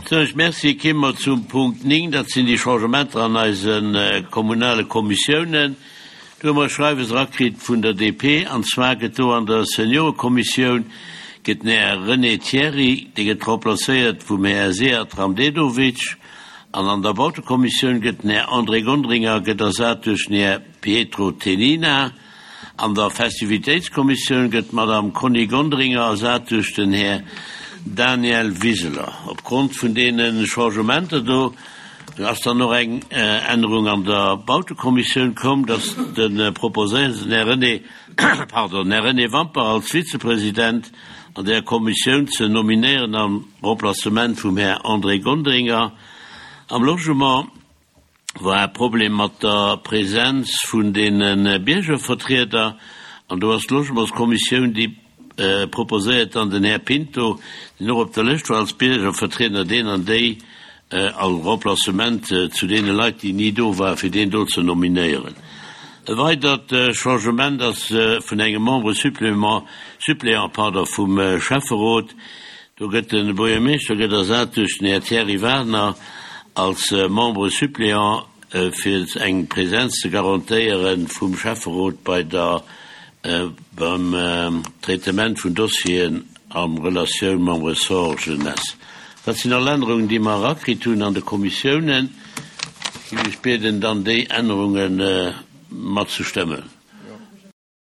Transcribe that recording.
Soen ech Merci. Kéime mer zum Punkt 9, dat sinn déi Changementer an eise kommunale Kommissiounen. Do hu mer e Schreiwes erakritt vun der DP, an zwar gëtt do an der Seniorekommissioun gëtt den Här René Thiry, dee gëtt remplacéiert vum Här Sead Ramdedovic, an an der Bautekommissioun gëtt den Här André Gonderinger gëtt ersat duerch den Här Pietro Tenina. An der Festivitéitskommissioun gëtt d'Madame Conny Gonderinger ersat duerch den Här Daniel Wiseler. Opgrond vun deene Changementer do ass dann och eng Ännerung an der Bautekommissioun komm, dass de proposéiert den Här René, pardon, Här René Wampach als Vizepresident an där Kommissioun ze nominéieren am Remplacement vum Här André Gonderinger. Am Logement war e Problem mat der Präsenz vun deene Biergervertrieder an do ass d'Logementskommissioun, déi proposéiert dann den Här Pinto, deen och op der Lëscht war als Biergervertrieder, deen an déi als Remplacement zu deene Leit, déi ni do waren, fir deen do ze nominéieren. E weidert Changement ass vun engem Membre supplément, suppléant, pardon, vum Schäfferot. Do gëtt de Buergermeeschter gëtt ersat duerch den Här Thierry Wagner als Membre suppléant, fir eng Präsenz ze garantéiere vum Schäfferot bei der, beim Traitement vun Dossieren a Relatioun mam Ressort Jeunesse. Dat sinn all Ännerungen, déi mer erakritt hunn an de Kommissiounen. Ech géif Iech bieden, dann déi Ännerunge matzestëmmen.